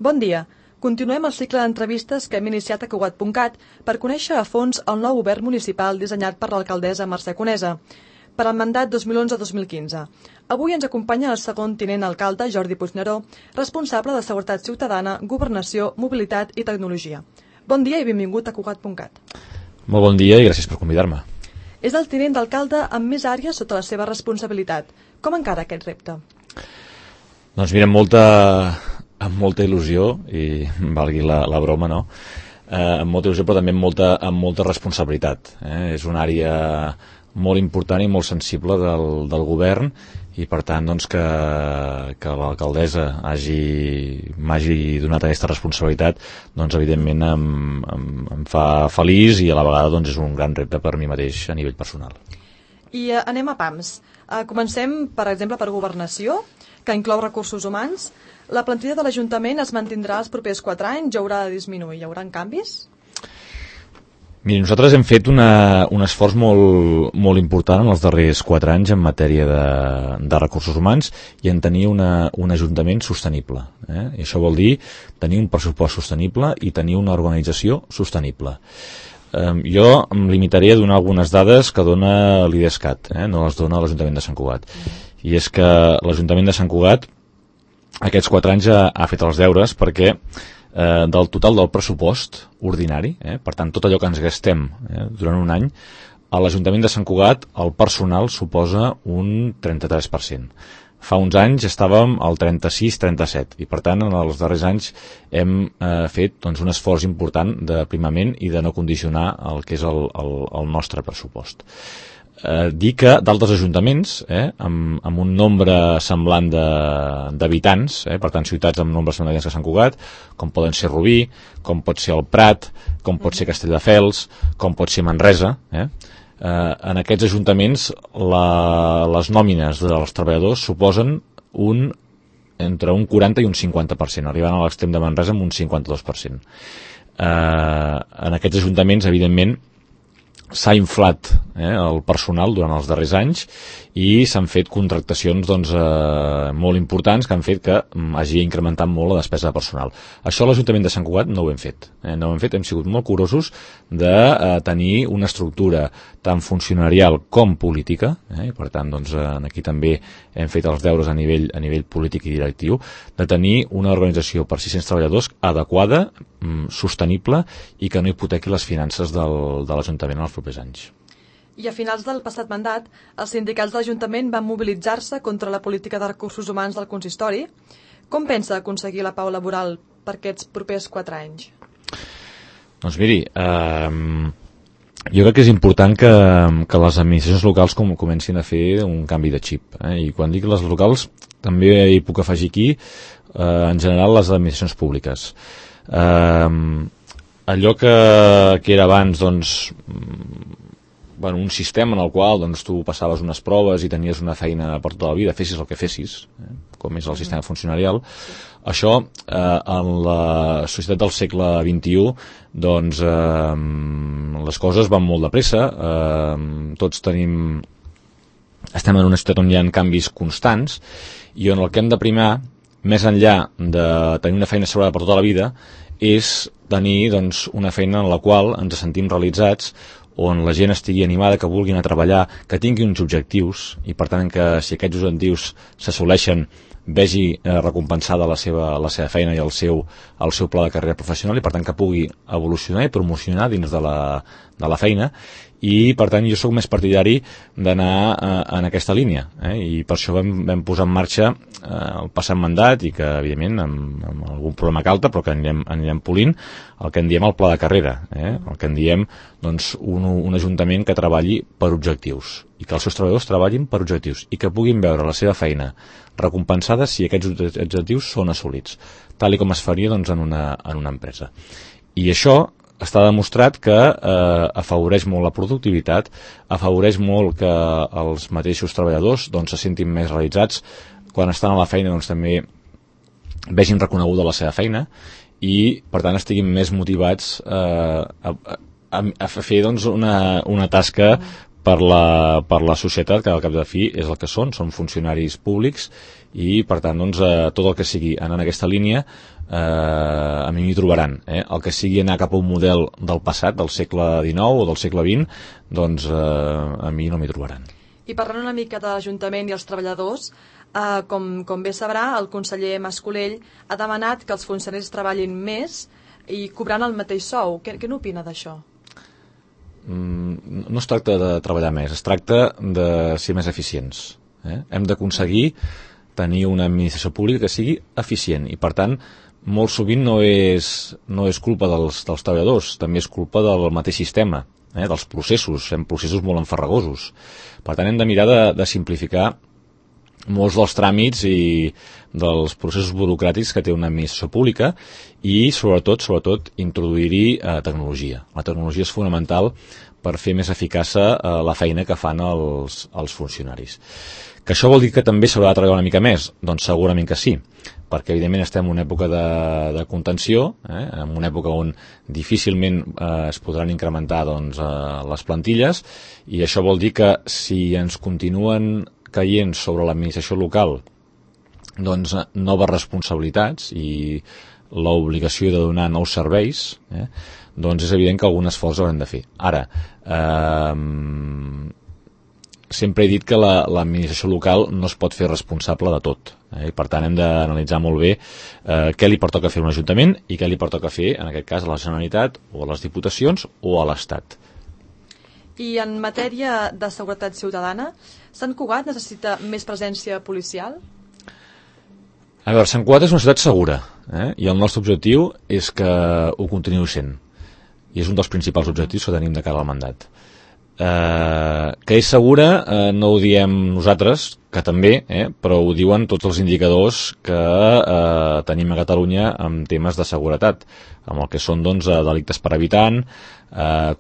Bon dia. Continuem el cicle d'entrevistes que hem iniciat a Cugat.cat per conèixer a fons el nou govern municipal dissenyat per l'alcaldessa Mercè Conesa per al mandat 2011-2015. Avui ens acompanya el segon tinent alcalde, Jordi Puigneró, responsable de Seguretat Ciutadana, Governació, Mobilitat i Tecnologia. Bon dia i benvingut a Cugat.cat. Molt bon dia i gràcies per convidar-me. És el tinent d'alcalde amb més àrees sota la seva responsabilitat. Com encara aquest repte? Doncs mira, amb molta il·lusió, i valgui la broma, no? Amb molta il·lusió, però també amb molta responsabilitat. És una àrea molt important i molt sensible del govern, i per tant doncs, que l'alcaldessa m'hagi donat aquesta responsabilitat, doncs evidentment em fa feliç, i a la vegada doncs, és un gran repte per mi mateix a nivell personal. I anem a pams. Comencem, per exemple, per Governació, que inclou recursos humans. La plantilla de l'Ajuntament es mantindrà els propers 4 anys, ja haurà de disminuir, hi haurà canvis? Miri, nosaltres hem fet un esforç molt important en els darrers 4 anys en matèria de recursos humans i en tenir un ajuntament sostenible. I això vol dir tenir un pressupost sostenible i tenir una organització sostenible. Jo em limitaré a donar algunes dades que dona l'IDESCAT, no les dona l'Ajuntament de Sant Cugat. I és que l'Ajuntament de Sant Cugat aquests 4 anys ha fet els deures perquè del total del pressupost ordinari, per tant tot allò que ens gastem durant un any, a l'Ajuntament de Sant Cugat el personal suposa un 33%. Fa uns anys estàvem al 36-37 i per tant en els darrers anys hem fet doncs, un esforç important d'aprimament i de no condicionar el que és el nostre pressupost. Dir que d'altres ajuntaments amb un nombre semblant d'habitants, per tant ciutats amb nombres semblants que Sant Cugat, com poden ser Rubí, com pot ser el Prat, com pot ser Castelldefels, com pot ser Manresa, en aquests ajuntaments les nòmines dels treballadors suposen entre un 40 i un 50%, arribant a l'extrem de Manresa amb un 52%. En aquests ajuntaments, evidentment, s'ha inflat el personal durant els darrers anys i s'han fet contractacions molt importants que han fet que hagi incrementat molt la despesa de personal. Això a l'Ajuntament de Sant Cugat no ho hem fet. Hem sigut molt curosos de tenir una estructura tant funcionarial com política, i per tant aquí també hem fet els deures a nivell polític i directiu, de tenir una organització per 600 treballadors adequada, sostenible i que no hipotequi les finances de l'Ajuntament en els propers anys. I a finals del passat mandat, els sindicats de l'Ajuntament van mobilitzar-se contra la política de recursos humans del consistori. Com pensa aconseguir la pau laboral per aquests propers 4 anys? Doncs miri, jo crec que és important que les administracions locals comencin a fer un canvi de xip. I quan dic les locals, també hi puc afegir aquí, en general, les administracions públiques. Allò que era abans, un sistema en el qual tu passaves unes proves i tenies una feina per tota la vida, fessis el que fessis, com és el sistema funcionarial, això en la societat del segle XXI les coses van molt de pressa, tots estem en una societat on hi ha canvis constants i on el que hem de primar, més enllà de tenir una feina assegurada per tota la vida, és tenir una feina en la qual ens sentim realitzats, on la gent estigui animada, que vulgui anar a treballar, que tingui uns objectius i per tant que si aquests objectius s'assoleixen vegi recompensada la seva feina i el seu pla de carrera professional i per tant que pugui evolucionar i promocionar dins de la feina. I per tant jo sóc més partidari d'anar en aquesta línia, i per això vam posar en marxa el passat mandat i que evidentment amb algun problema calta però que anirem polint el que en diem el pla de carrera, el que en diem un ajuntament que treballi per objectius i que els seus treballadors treballin per objectius i que puguin veure la seva feina recompensada si aquests objectius són assolits, tal com es faria en una empresa. I això està demostrat que afavoreix molt la productivitat, afavoreix molt que els mateixos treballadors se sentin més realitzats quan estan a la feina, també vegin reconeguda la seva feina i per tant estiguin més motivats a fer una tasca per la societat, que al cap de fi és el que són funcionaris públics, i per tant doncs, tot el que sigui anar en aquesta línia a mi m'hi trobaran. El que sigui anar cap a un model del passat, del segle XIX o del segle XX, doncs a mi no m'hi trobaran. I parlant una mica de l'Ajuntament i els treballadors, com bé sabrà, el conseller Mas-Colell ha demanat que els funcionaris treballin més i cobrant el mateix sou. Què n'opina d'això? No es tracta de treballar més, es tracta de ser més eficients. Hem d'aconseguir tenir una administració pública que sigui eficient i, per tant, molt sovint no és culpa dels treballadors, també és culpa del mateix sistema, dels processos, fem processos molt enfarragosos. Per tant, hem de mirar de simplificar molts dels tràmits i dels processos burocràtics que té una administració pública i, sobretot introduir-hi tecnologia. La tecnologia és fonamental per fer més eficaç la feina que fan els funcionaris. Que això vol dir que també s'haurà de treballar una mica més? Doncs segurament que sí, perquè evidentment estem en una època de contenció, en una època on difícilment es podran incrementar doncs, les plantilles, i això vol dir que si ens continuen caient sobre l'administració local doncs noves responsabilitats i l'obligació de donar nous serveis, doncs és evident que algun esforç haurem de fer. Ara, sempre he dit que l'administració local no es pot fer responsable de tot, i per tant hem d'analitzar molt bé què li pertoca fer a un ajuntament i què li pertoca fer, en aquest cas, a la Generalitat o a les Diputacions o a l'Estat. I en matèria de seguretat ciutadana, Sant Cugat necessita més presència policial? A veure, Sant Cugat és una ciutat segura, i el nostre objectiu és que ho continuï sent, i és un dels principals objectius que tenim de cara al mandat. Que és segura no ho diem nosaltres, que també, però ho diuen tots els indicadors que tenim a Catalunya en temes de seguretat, amb el que són doncs, delictes per habitant,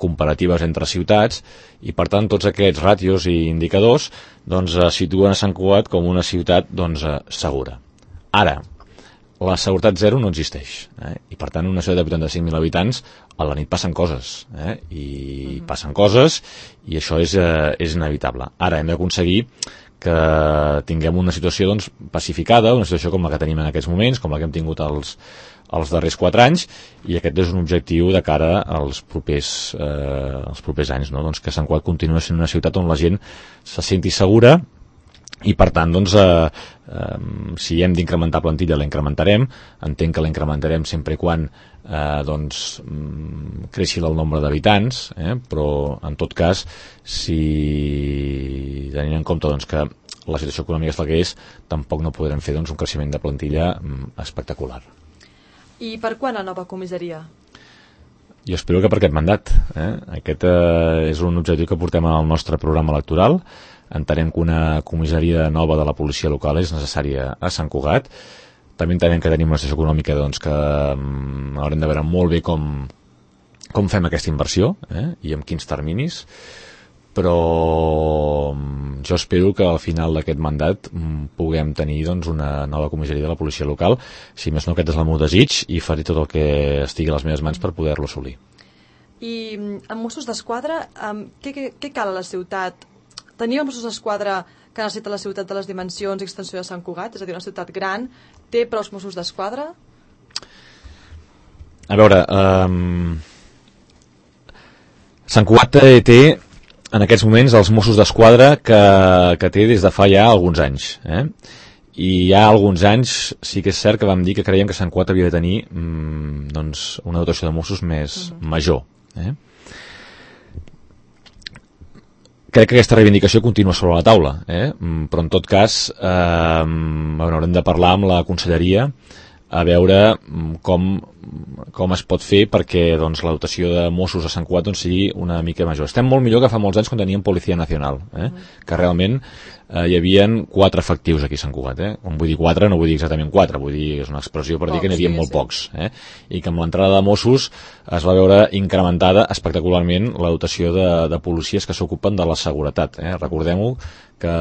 comparatives entre ciutats, i per tant tots aquests ràtios i indicadors doncs, situen a Sant Cugat com una ciutat doncs, segura. Ara, la seguretat zero no existeix, i per tant una ciutat de 85.000 habitants a la nit passen coses, i passen coses, i això és inevitable. Ara hem d'aconseguir que tinguem una situació doncs, pacificada, una situació com la que tenim en aquests moments, com la que hem tingut els darrers 4 anys, i aquest és un objectiu de cara als propers anys, no? Doncs que Sant Cugat continua sent una ciutat on la gent se senti segura, i per tant doncs, si hem d'incrementar plantilla la incrementarem, entenc que la incrementarem sempre i quan doncs, creixi el nombre d'habitants, però en tot cas si tenint en compte doncs, que la situació econòmica és la que és, tampoc no podrem fer doncs, un creixement de plantilla espectacular. I per quan la nova comissaria? Jo espero que per aquest mandat. Aquest és un objectiu que portem al nostre programa electoral. Entenem que una comissaria nova de la policia local és necessària a Sant Cugat. També entenem que tenim una situació econòmica doncs, que haurem de veure molt bé com fem aquesta inversió i en quins terminis, però jo espero que al final d'aquest mandat puguem tenir doncs, una nova comissaria de la policia local. Si més no, aquest és el meu desig i faré tot el que estigui a les meves mans per poder-lo assolir. I en Mossos d'Esquadra, què cal a la ciutat? Tenim Mossos d'Esquadra que necessita la ciutat de les dimensions i extensió de Sant Cugat, és a dir, una ciutat gran, té prou Mossos d'Esquadra? A veure, Sant Cugat té en aquests moments els Mossos d'Esquadra que té des de fa ja alguns anys. I ja alguns anys sí que és cert que vam dir que creiem que Sant Cugat havia de tenir doncs, una dotació de Mossos més major. Crec que aquesta reivindicació continua sobre la taula, però en tot cas haurem de parlar amb la conselleria a veure com es pot fer perquè doncs, la dotació de Mossos a Sant Cugat doncs, sigui una mica major. Estem molt millor que fa molts anys quan teníem Policia Nacional, que realment hi havia 4 efectius aquí a Sant Cugat. Quan vull dir 4 no vull dir exactament 4, vull dir, és una expressió per dir que n'hi havia molt pocs. I que amb l'entrada de Mossos es va veure incrementada espectacularment la dotació de policies que s'ocupen de la seguretat. Recordem-ho que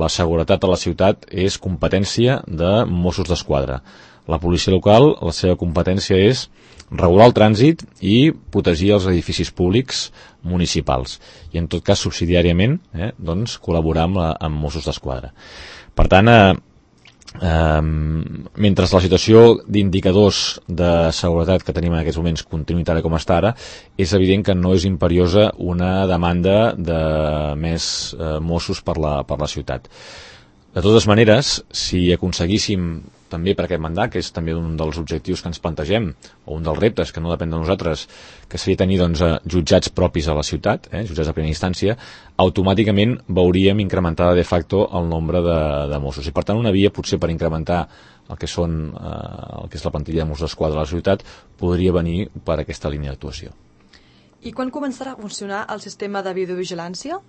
la seguretat a la ciutat és competència de Mossos d'Esquadra. La policia local, la seva competència és regular el trànsit i protegir els edificis públics municipals i en tot cas subsidiàriament doncs col·laborar amb Mossos d'Esquadra. Per tant, mentre la situació d'indicadors de seguretat que tenim en aquests moments continuï tal com està ara, és evident que no és imperiosa una demanda de més Mossos per la ciutat. De totes maneres, si aconseguíssim també per aquest mandat, que és també un dels objectius que ens plantegem, o un dels reptes que no depèn de nosaltres, que seria tenir jutjats propis a la ciutat, jutjats de primera instància, automàticament veuríem incrementada de facto el nombre de Mossos. I per tant una via potser per incrementar el que és la plantilla de Mossos d'Esquadra a la ciutat podria venir per aquesta línia d'actuació. I quan començarà a funcionar el sistema de videovigilància?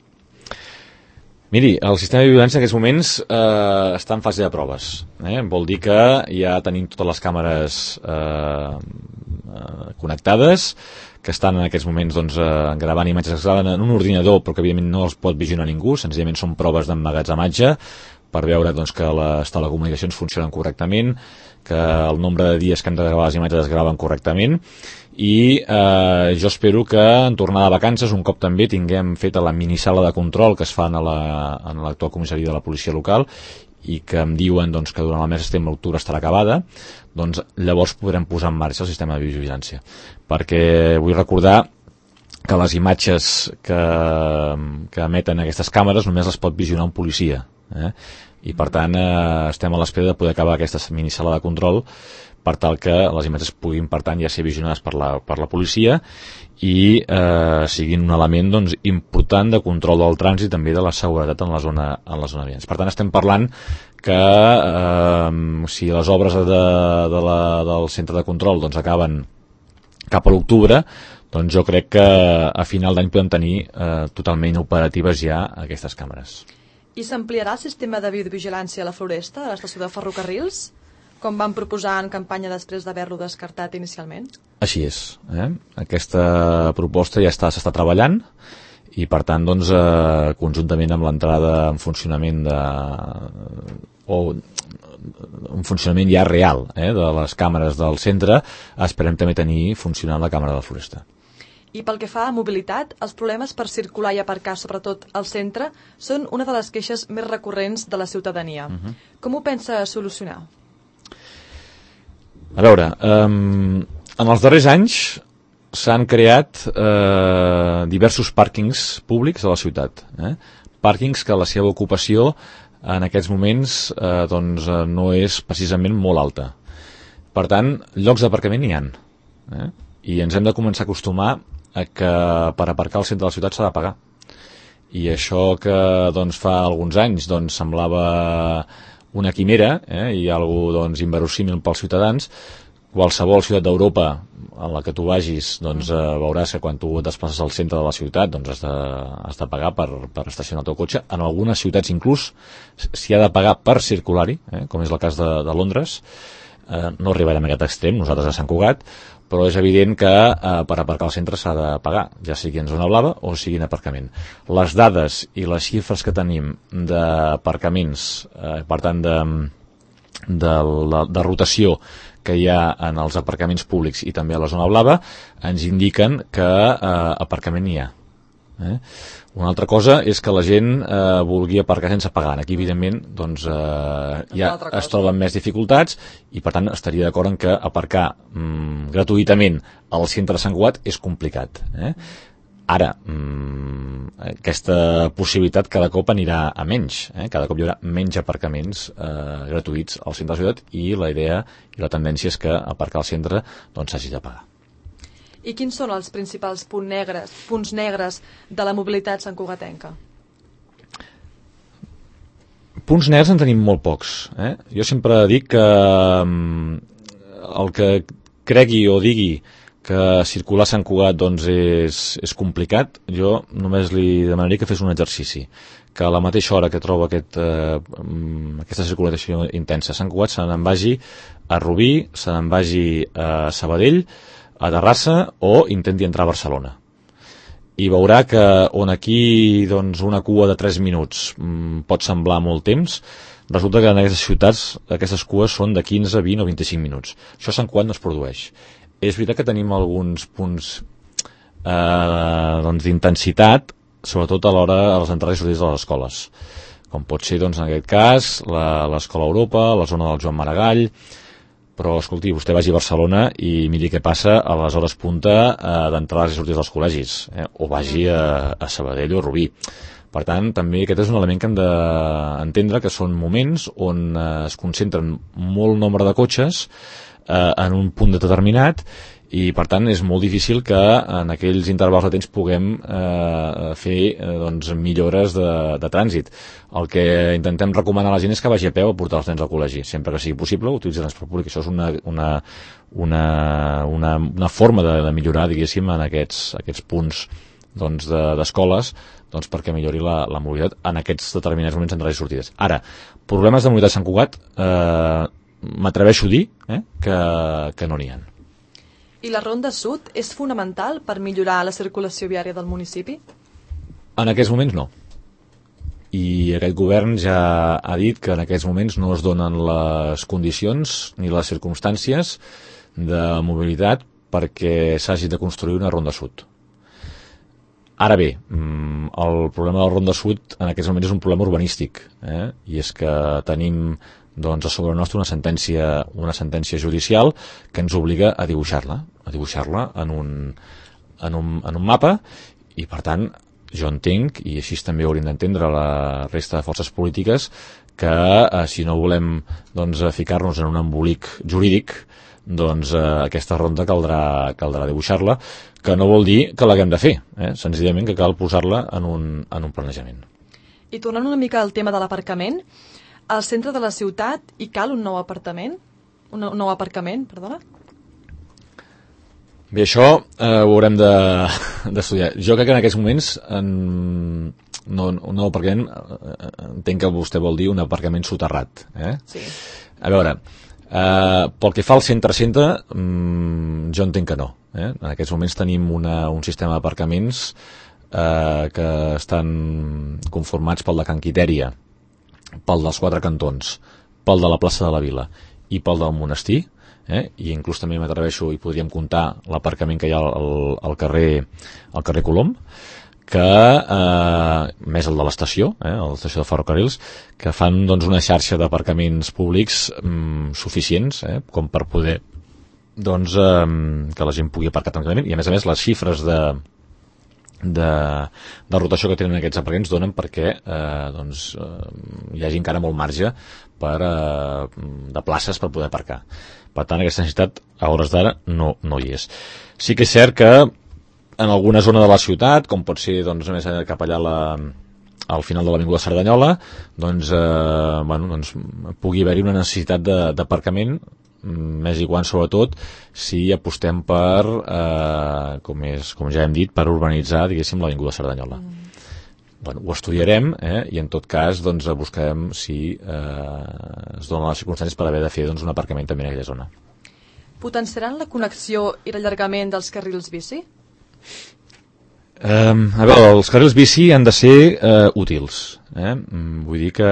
Miri, el sistema de vigilància en aquests moments està en fase de proves. Vol dir que ja tenim totes les càmeres connectades, que estan en aquests moments gravant imatges que es graven en un ordinador, però que evidentment no els pot visionar ningú, senzillament són proves d'emmagatzematge per veure que les telecomunicacions funcionen correctament, que el nombre de dies que hem de gravar les imatges es graven correctament, i jo espero que en tornada de vacances, un cop també tinguem feta la minisala de control que es fa en l'actual comissaria de la policia local i que em diuen que durant el mes de setembre-octubre estarà acabada, doncs llavors podrem posar en marxa el sistema de vigilància. Perquè vull recordar que les imatges que emeten aquestes càmeres només les pot visionar un policia. I per tant estem a l'espera de poder acabar aquesta minisala de control per tal que les imatges puguin, per tant, ja ser visionades per la policia i siguin un element important de control del trànsit i també de la seguretat en la zona vials. Per tant, estem parlant que si les obres del centre de control acaben cap a l'octubre, doncs jo crec que a final d'any podem tenir totalment operatives ja aquestes càmeres. I s'ampliarà el sistema de videovigilància a la Floresta, a l'estació de ferrocarrils, com van proposar en campanya després d'haver-lo descartat inicialment? Així és. Aquesta proposta ja s'està treballant i per tant conjuntament amb l'entrada en funcionament un funcionament ja real de les càmeres del centre, esperem també tenir funcionant la càmera de la Floresta. I pel que fa a mobilitat, els problemes per circular i aparcar, sobretot al centre, són una de les queixes més recurrents de la ciutadania. Com ho pensa solucionar? A veure, en els darrers anys s'han creat diversos pàrquings públics a la ciutat. Pàrquings que la seva ocupació en aquests moments no és precisament molt alta. Per tant, llocs d'aparcament n'hi ha. I ens hem de començar a acostumar a que per aparcar al centre de la ciutat s'ha de pagar. I això que fa alguns anys semblava una quimera i algo inverosímil pels ciutadans, qualsevol ciutat d'Europa en la que tu vagis veuràs que quan tu et desplaces al centre de la ciutat has de pagar per estacionar el teu cotxe. En algunes ciutats inclús s'hi ha de pagar per circular-hi, com és el cas de Londres. No arribarem a aquest extrem, nosaltres a Sant Cugat, però és evident que per aparcar al centre s'ha de pagar, ja sigui en zona blava o sigui en aparcament. Les dades i les xifres que tenim d'aparcaments, per tant de rotació que hi ha en els aparcaments públics i també a la zona blava, ens indiquen que aparcament hi ha. Una altra cosa és que la gent vulgui aparcar sense pagar. Aquí, evidentment, ja es troben més dificultats i, per tant, estaria d'acord en que aparcar gratuïtament al centre de Sant Cugat és complicat. Ara, aquesta possibilitat cada cop anirà a menys. Cada cop hi haurà menys aparcaments gratuïts al centre de la ciutat i la idea i la tendència és que aparcar al centre s'hagi de pagar. I quins són els principals punts negres de la mobilitat santcugatenca? Punts negres en tenim molt pocs. Jo sempre dic que el que cregui o digui que circular a Sant Cugat és complicat, jo només li demanaria que fes un exercici, que a la mateixa hora que troba aquesta circulació intensa a Sant Cugat se n'en vagi a Rubí, se n'en vagi a Sabadell, a Terrassa o intenti entrar a Barcelona. I veurà que on aquí una cua de 3 minuts pot semblar molt temps, resulta que en aquestes ciutats aquestes cues són de 15, 20 o 25 minuts. Això a Sant Cugat no es produeix. És veritat que tenim alguns punts doncs, d'intensitat, sobretot a l'hora de les entrades i sortides de les escoles, com pot ser, doncs, en aquest cas, l'Escola Europa, la zona del Joan Maragall, però, escolti, vostè vagi a Barcelona i miri què passa a les hores punta d'entrades i sortides dels col·legis, o vagi a Sabadell o a Rubí. Per tant, també aquest és un element que hem d'entendre, que són moments on es concentren molt nombre de cotxes en un punt determinat, i per tant és molt difícil que en aquells intervals de temps puguem fer doncs, millores de trànsit. El que intentem recomanar a la gent és que vagi a peu a portar els nens al col·legi, sempre que sigui possible, utilitzar el transport públic. Això és una forma de millorar, diguéssim, en aquests punts doncs, d'escoles, doncs, perquè millori la mobilitat en aquests determinats moments d'entrades i sortides. Ara, problemes de mobilitat a Sant Cugat, m'atreveixo a dir que no n'hi ha. I la Ronda Sud és fonamental per millorar la circulació viària del municipi? En aquests moments no. I aquest govern ja ha dit que en aquests moments no es donen les condicions ni les circumstàncies de mobilitat perquè s'hagi de construir una Ronda Sud. Ara bé, el problema de la Ronda Sud en aquests moments és un problema urbanístic, i és que tenim doncs, a sobre nostre una sentència judicial que ens obliga a dibuixar-la en un mapa, i per tant jo entenc, i així també hauríem d'entendre la resta de forces polítiques, que si no volem doncs, ficar-nos en un embolic jurídic, doncs aquesta ronda caldrà dibuixar-la, que no vol dir que l'haguem de fer, senzillament que cal posar-la en un planejament. I tornant una mica al tema de l'aparcament, al centre de la ciutat hi cal un nou aparcament? Un nou aparcament, perdona? Bé, això ho haurem d'estudiar. Jo crec que en aquests moments un nou aparcament, entenc que vostè vol dir un aparcament soterrat. Sí. A veure, pel que fa al centre, jo entenc que no. En aquests moments tenim un sistema d'aparcaments que estan conformats pel de Can Quitèria, pel dels Quatre Cantons, pel de la plaça de la Vila i pel del Monestir, i inclús també m'atreveixo i podríem comptar l'aparcament que hi ha al carrer Colom, que més el de l'estació, l'estació de ferrocarrils, que fan doncs, una xarxa d'aparcaments públics suficients com per poder doncs, que la gent pugui aparcar tranquil·lament, i a més les xifres de rotació que tenen aquests aparcaments donen perquè doncs, hi hagi encara molt marge de places per poder aparcar. Per tant, aquesta necessitat a hores d'ara no hi és. Sí que és cert que en alguna zona de la ciutat, com pot ser doncs, més cap allà al final de l'Avinguda Cerdanyola, doncs, pugui haver-hi una necessitat d'aparcament, més i quan sobretot si apostem per, com ja hem dit, per urbanitzar, diguéssim, l'Avinguda Cerdanyola. Ho estudiarem, i en tot cas doncs, buscarem si es donen les circumstàncies per haver de fer doncs, un aparcament també en aquella zona. Potenciaran la connexió i l'allargament dels carrils bici? A veure, els carrils bici han de ser útils. Vull dir que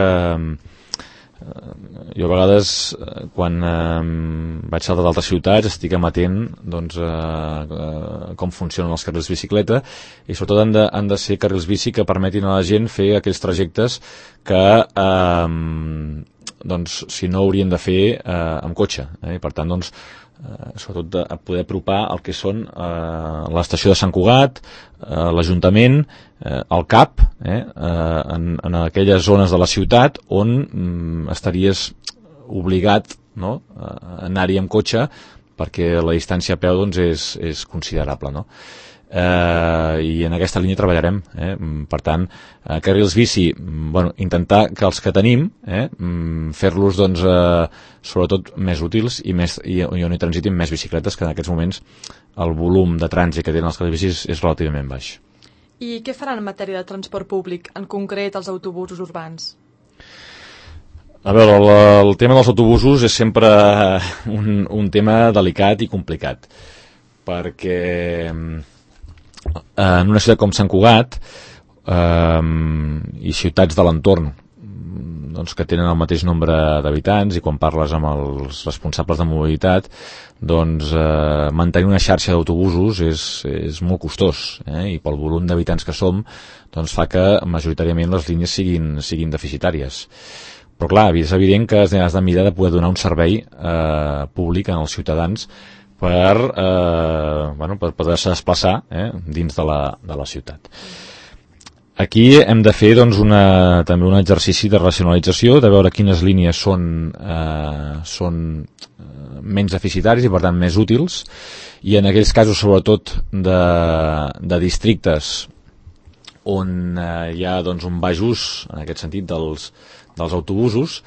jo a vegades quan vaig saltar d'altres ciutats estic amatent doncs, com funcionen els carrils bicicleta, i sobretot han de ser carrils bici que permetin a la gent fer aquells trajectes que doncs, si no haurien de fer amb cotxe, i per tant doncs, sobretot de poder apropar el que són l'estació de Sant Cugat, l'Ajuntament, el CAP, en aquelles zones de la ciutat on estaries obligat a anar-hi amb cotxe perquè la distància a peu doncs, és considerable, no? I en aquesta línia treballarem, per tant, carrils bici, intentar que els que tenim fer-los doncs, sobretot més útils i on hi transitin més bicicletes, que en aquests moments el volum de trànsit que tenen els carrils bicis és relativament baix. I què faran en matèria de transport públic, en concret els autobusos urbans? A veure, el tema dels autobusos és sempre un tema delicat i complicat, perquè en una ciutat com Sant Cugat i ciutats de l'entorn doncs, que tenen el mateix nombre d'habitants, i quan parles amb els responsables de mobilitat, doncs mantenir una xarxa d'autobusos és molt costós, i pel volum d'habitants que som doncs fa que majoritàriament les línies siguin deficitàries. Però clar, és evident que has de mirar de poder donar un servei públic als ciutadans per poder-se desplaçar dins de la ciutat. Aquí hem de fer doncs, també un exercici de racionalització, de veure quines línies són menys deficitaris i per tant més útils, i en aquells casos sobretot de districtes on hi ha doncs, un baix ús en aquest sentit dels autobusos,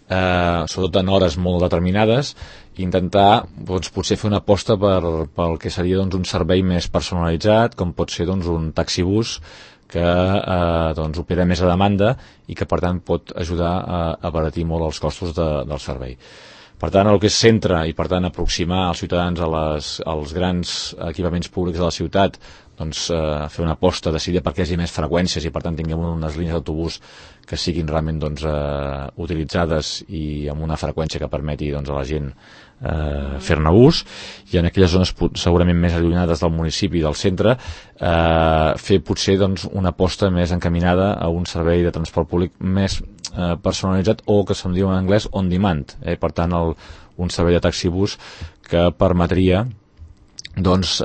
sobretot en hores molt determinades, intentar doncs, potser fer una aposta pel que seria doncs, un servei més personalitzat, com pot ser doncs, un taxibús que doncs, opera més a demanda i que per tant pot ajudar a abaratir molt els costos del servei. Per tant, el que és centre i per tant aproximar els ciutadans als grans equipaments públics de la ciutat, doncs fer una aposta decidida perquè hi hagi més freqüències i per tant tinguem unes línies d'autobús que siguin realment doncs, utilitzades i amb una freqüència que permeti doncs, a la gent fer-ne ús, i en aquelles zones segurament més allunyades del municipi i del centre fer potser doncs, una aposta més encaminada a un servei de transport públic més personalitzat, o que se'n diu en anglès on demand, per tant un servei de taxibús que permetria doncs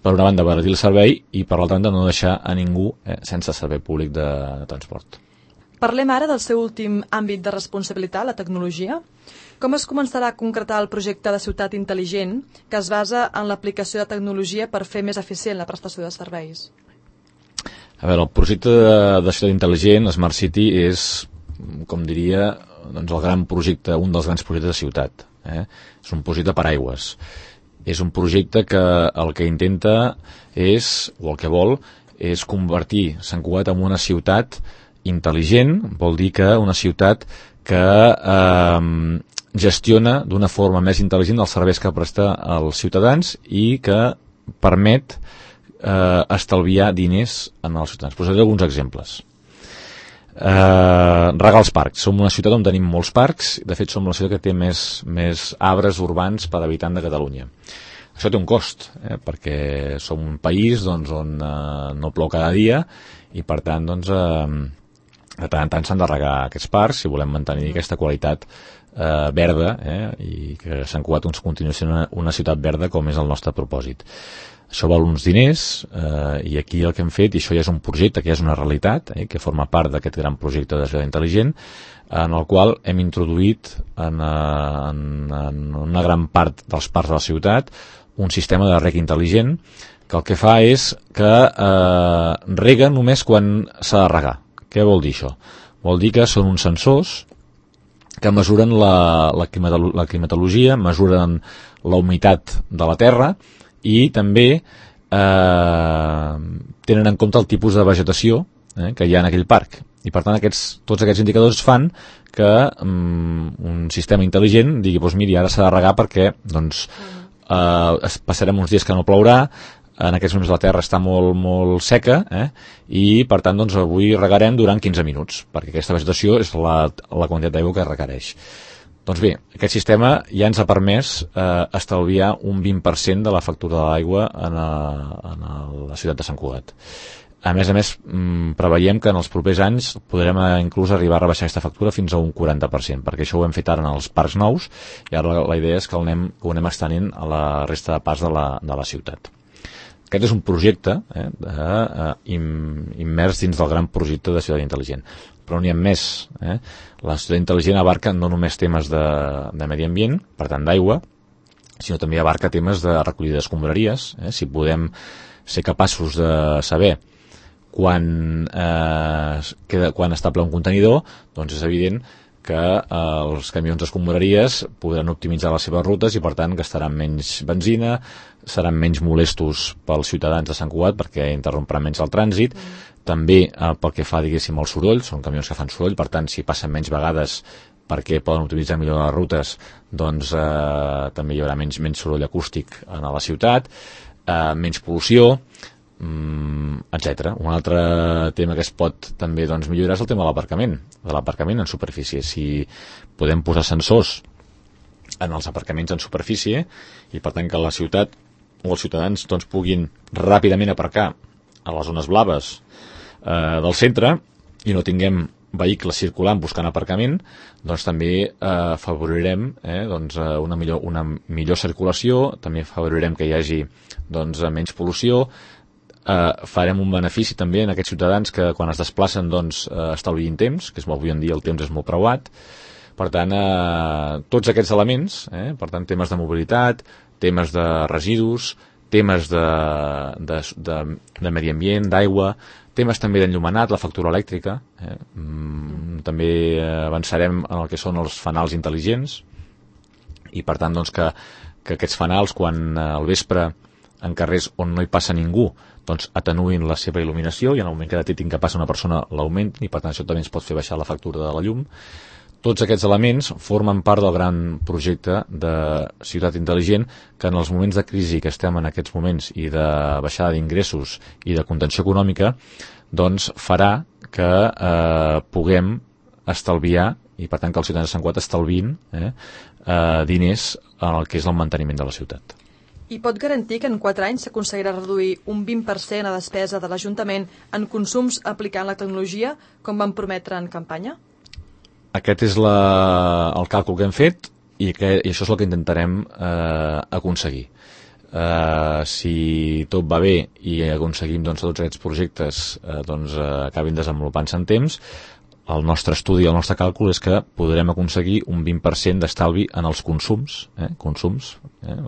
per una banda abaratir el servei i per l'altra banda no deixar a ningú sense servei públic de transport. Parlem ara del seu últim àmbit de responsabilitat, la tecnologia. Com es començarà a concretar el projecte de ciutat intel·ligent que es basa en l'aplicació de tecnologia per fer més eficient la prestació de serveis? A veure, el projecte de ciutat intel·ligent, Smart City, és, com diria, doncs el gran projecte, un dels grans projectes de ciutat. És un projecte per aigües. És un projecte que el que intenta és, o el que vol, és convertir Sant Cugat en una ciutat intel·ligent, vol dir que una ciutat que gestiona d'una forma més intel·ligent els serveis que presta als ciutadans i que permet estalviar diners en els ciutadans. Posaré alguns exemples. Regar els parcs. Som una ciutat on tenim molts parcs, de fet som la ciutat que té més arbres urbans per habitant de Catalunya. Això té un cost, perquè som un país doncs, on no plou cada dia i per tant doncs, de tant en tant s'han de regar aquests parcs si volem mantenir aquesta qualitat verda i que Sant Cugat continuï sent una ciutat verda com és el nostre propòsit. Això val uns diners i aquí el que hem fet, i això ja és un projecte que ja és una realitat, que forma part d'aquest gran projecte de ciutat intel·ligent, en el qual hem introduït en una gran part dels parcs de la ciutat un sistema de reg intel·ligent que el que fa és que rega només quan s'ha de regar. Què vol dir això? Vol dir que són uns sensors que mesuren la climatologia, mesuren la humitat de la terra i també tenen en compte el tipus de vegetació que hi ha en aquell parc. I per tant tots aquests indicadors fan que un sistema intel·ligent digui, doncs miri, ara s'ha de regar perquè doncs, passarem uns dies que no plourà, en aquests moments la terra està molt, molt seca i per tant doncs, avui regarem durant 15 minuts perquè aquesta vegetació és la quantitat d'aigua que requereix. Doncs bé, aquest sistema ja ens ha permès estalviar un 20% de la factura de l'aigua en la ciutat de Sant Cugat. A més, preveiem que en els propers anys podrem inclús arribar a rebaixar aquesta factura fins a un 40%, perquè això ho hem fet ara en els parcs nous i ara la idea és que ho anem estenent a la resta de parcs de la ciutat. Aquest és un projecte immers dins del gran projecte de ciutat intel·ligent. Però n'hi ha més. La ciutat intel·ligent abarca no només temes de medi ambient, per tant d'aigua, sinó també abarca temes de recollida d'escombraries. Si podem ser capaços de saber quan està ple un contenidor, doncs és evident que els camions d'escombraries podran optimitzar les seves rutes i per tant gastaran menys benzina, seran menys molestos pels ciutadans de Sant Cugat perquè interromperan menys el trànsit, també pel que fa diguéssim al soroll, són camions que fan soroll, per tant si passen menys vegades perquè poden utilitzar millor les rutes, doncs també hi haurà menys soroll acústic a la ciutat, menys pol·lució, etc. Un altre tema que es pot també millorar és el tema de l'aparcament en superfície. Si podem posar sensors en els aparcaments en superfície i per tant que la ciutat o els ciutadans puguin ràpidament aparcar a les zones blaves del centre i no tinguem vehicles circulant buscant aparcament, també afavorirem una millor circulació, també afavorirem que hi hagi menys pol·lució, farem un benefici també en aquests ciutadans que quan es desplacen estalviïn temps, que avui en dia el temps és molt preuat. Per tant, tots aquests elements, per tant, temes de mobilitat, temes de residus, temes de medi ambient, d'aigua, temes també d'enllumenat, la factura elèctrica, també avançarem en el que són els fanals intel·ligents i per tant que aquests fanals quan al vespre en carrers on no hi passa ningú atenuïn la seva il·luminació i en el moment que detectin que passa una persona l'augmentin i per tant això també ens pot fer baixar la factura de la llum. Tots aquests elements formen part del gran projecte de ciutat intel·ligent que en els moments de crisi que estem en aquests moments i de baixada d'ingressos i de contenció econòmica farà que puguem estalviar i per tant que els ciutadans de Sant Cugat estalviïn diners en el que és el manteniment de la ciutat. I pot garantir que en 4 anys s'aconseguirà reduir un 20% la despesa de l'Ajuntament en consums aplicant la tecnologia, com van prometre en campanya? Aquest és el càlcul que hem fet i això és el que intentarem aconseguir. Si tot va bé i aconseguim tots aquests projectes acabin desenvolupant-se en temps, el nostre estudi, el nostre càlcul és que podrem aconseguir un 20% d'estalvi en els consums,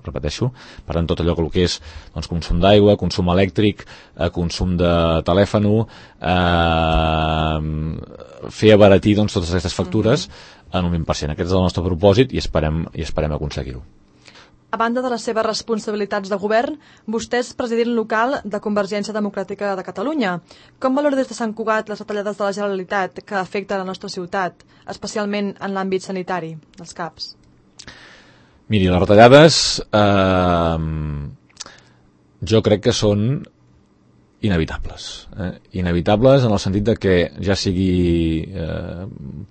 repeteixo, per tant tot allò que és consum d'aigua, consum elèctric, consum de telèfon, fer abaratir totes aquestes factures en un 20%. Aquest és el nostre propòsit i esperem aconseguir-ho. A banda de les seves responsabilitats de govern, vostè és president local de Convergència Democràtica de Catalunya. Com valora des de Sant Cugat les retallades de la Generalitat que afecten la nostra ciutat, especialment en l'àmbit sanitari, dels CAPs? Miri, les retallades jo crec que són inevitables. Inevitables en el sentit de que ja sigui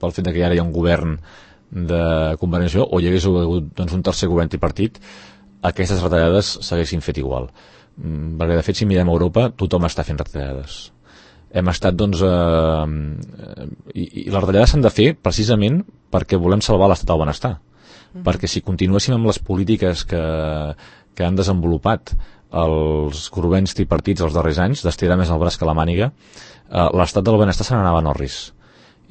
pel fet que ara hi ha un govern de Convergència o hi hagués hagut un tercer govern tripartit, aquestes retallades s'haguessin fet igual. Perquè de fet si mirem a Europa tothom està fent retallades. Hem estat i les retallades s'han de fer precisament perquè volem salvar l'estat del benestar. Perquè si continuéssim amb les polítiques que han desenvolupat els governs tripartits els darrers anys, d'estirar més el braç que la màniga, l'estat del benestar se n'anava en orris.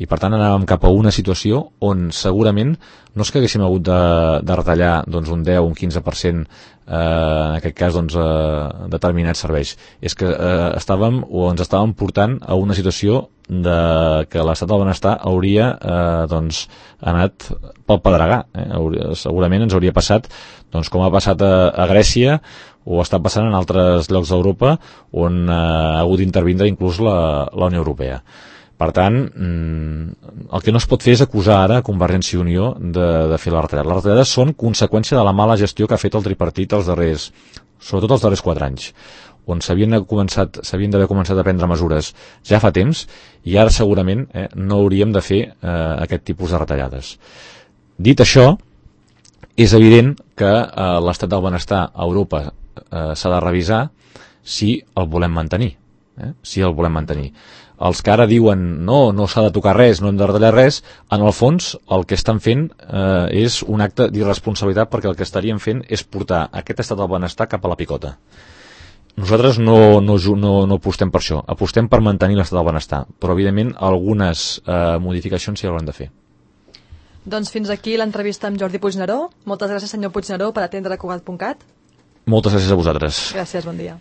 I per tant anàvem cap a una situació on segurament no és que haguéssim hagut de retallar un 10 o un 15% en aquest cas determinats serveis, és que ens estàvem portant a una situació que l'estat del benestar hauria anat pel pedregar. Segurament ens hauria passat com ha passat a Grècia o està passant en altres llocs d'Europa on ha hagut d'intervindre inclús la Unió Europea. Per tant, el que no es pot fer és acusar ara a Convergència i Unió de fer les retallades. Les retallades són conseqüència de la mala gestió que ha fet el tripartit sobretot els darrers 4 anys, on s'havien d'haver començat a prendre mesures ja fa temps i ara segurament no hauríem de fer aquest tipus de retallades. Dit això, és evident que l'estat del benestar a Europa s'ha de revisar si el volem mantenir. Els que ara diuen no s'ha de tocar res, no hem de retallar res, en el fons el que estan fent és un acte d'irresponsabilitat perquè el que estarien fent és portar aquest estat del benestar cap a la picota. Nosaltres no apostem per això, apostem per mantenir l'estat del benestar, però evidentment algunes modificacions s'hi hauran de fer. Doncs fins aquí l'entrevista amb Jordi Puigneró. Moltes gràcies senyor Puigneró per atendre Cugat.cat. Moltes gràcies a vosaltres. Gràcies, bon dia.